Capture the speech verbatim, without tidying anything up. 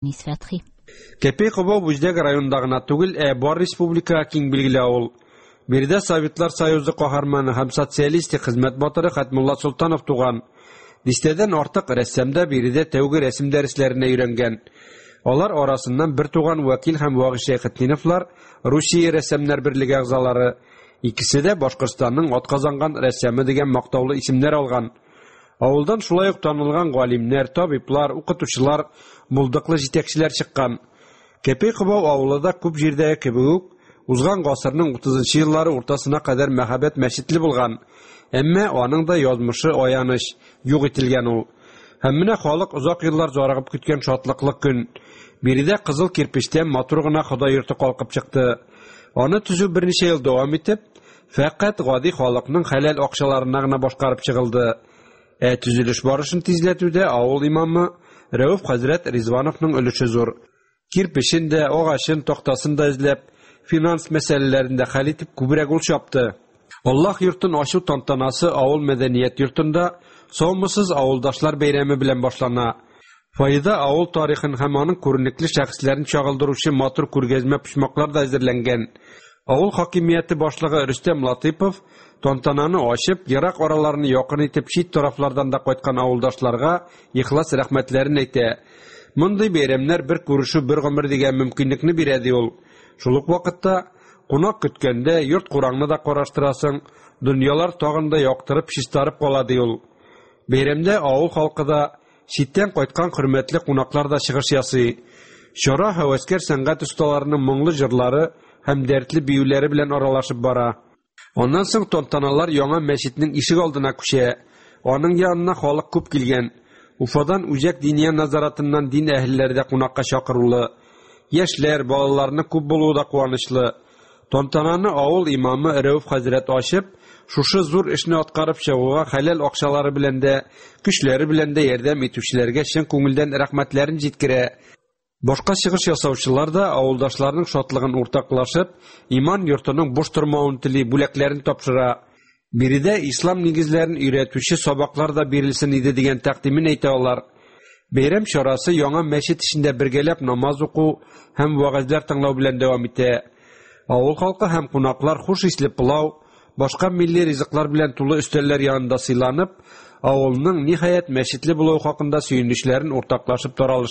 Әнис Фәтхи. Кәпәй Кобау Бүздәк районында гына түгел, ә бар республикага киң билгеле авыл. Биредә Советлар Союзы каһарманы һәм социалистик хезмәт батыры Хәтмулла Солтанов туган. Дистәдән артык рәссам да биредә тәүге рәсем дәресләренә өйрәнгән. Алар арасыннан бер туган Вәкил һәм Вагыйз Шәйхетдиновлар Русия рәссамнар берлеге әгъзалары. Икесе дә Башкортстанның атказанган рәссамы дигән мактаулы исемнәр алган. Авылдан шулай ук танылган галимнәр, табиблар, укытучылар, булдыклы җитәкчеләр чыккан. Кәпәй Кобау авылы да күп җирдәге кебек үк узган гасырның утызынчы еллары уртасына кадәр мәһабәт мәчетле булган. Әмма аның да язмышы аяныч, юк ителгән ул. Һәм менә халык озак еллар зарыгып көткән шатлыклы көн. Биредә кызыл кирпечтән матур гына Ходай йорты калкып чыкты. Аны төзү берничә ел дәвам итеп, фәкать гади халыкның хәләл акчаларына гына башкарып чыгылды. Ә төзелеш барышын тизләтүдә авыл имамы Рәүф хәзрәт Ризвановның өлеше зур. Кирпечен дә, агачын, тактасын да эзләп, финанс мәсьәләләрен дә хәл итеп күбрәк ул чапты. Аллаһ йортын ачу тантанасы авыл мәдәният йортында Саумысыз авылдашлар бәйрәме белән башлана. Фойеда авыл тарихын һәм аның күренекле шәхесләрен чагылдыручы матур күргәзмә почмаклар да әзерләнгән. Авыл хакимияте башлыгы Рөстәм Латыйпов тантананы ачып, ерак араларны якын итеп чит тарафлардан да кайткан авылдашларга ихлас рәхмәтләрен әйтә. Мондый бәйрәмнәр бер күрешү бер гомер дигән мөмкинлекне бирә, ди ул. Шул ук вакытта кунак көткәндә йорт кураңны да караштырасың, дөньялар тагын да яктырып, чистарып кала, ди ул. Бәйрәмдә авыл халкы да, читтән кайткан хөрмәтле кунаклар да чыгыш ясый. Чара һәвәскәр сәнгать осталарының моңлы җырлары һәм дәртле биюләре белән аралашып бара. Аннан соң тантаналар яңа мәчетнең ишек алдына күчә. Аның янына халык күп килгән. Уфадан Үзәк диния назаратыннан дин әһелләре дә кунакка чакырулы. Яшьләр, балаларны күп булуы да куанычлы. Тантананы авыл имамы Рәүф хәзрәт ачып, шушы зур эшне аткарып чыгуга хәләл акчалары белән дә, көчләре белән дә ярдәм итүчеләргә чын күңелдән рәхмәтләрен җиткерә. Башка чыгыш ясаучылар да авылдашларның шатлыгын уртаклашып, иман йортының буш тормавын тели, бүләкләрен тапшыра. Биредә ислам нигезләрен өйрәтүче сабаклар да бирелсен иде дигән тәкъдимен әйтә алар. Бәйрәм чарасы яңа мәчет эчендә бергәләп намаз уку һәм вәгазьләр тыңлау белән дәвам итә. Авыл халкы һәм кунаклар хуш исле пылау, башка милли ризыклар белән тулы өстәлләр янында сыйланып, авылның ниһаять мәчетле булуы хакында сөенечләрен уртаклашып таралыштылар.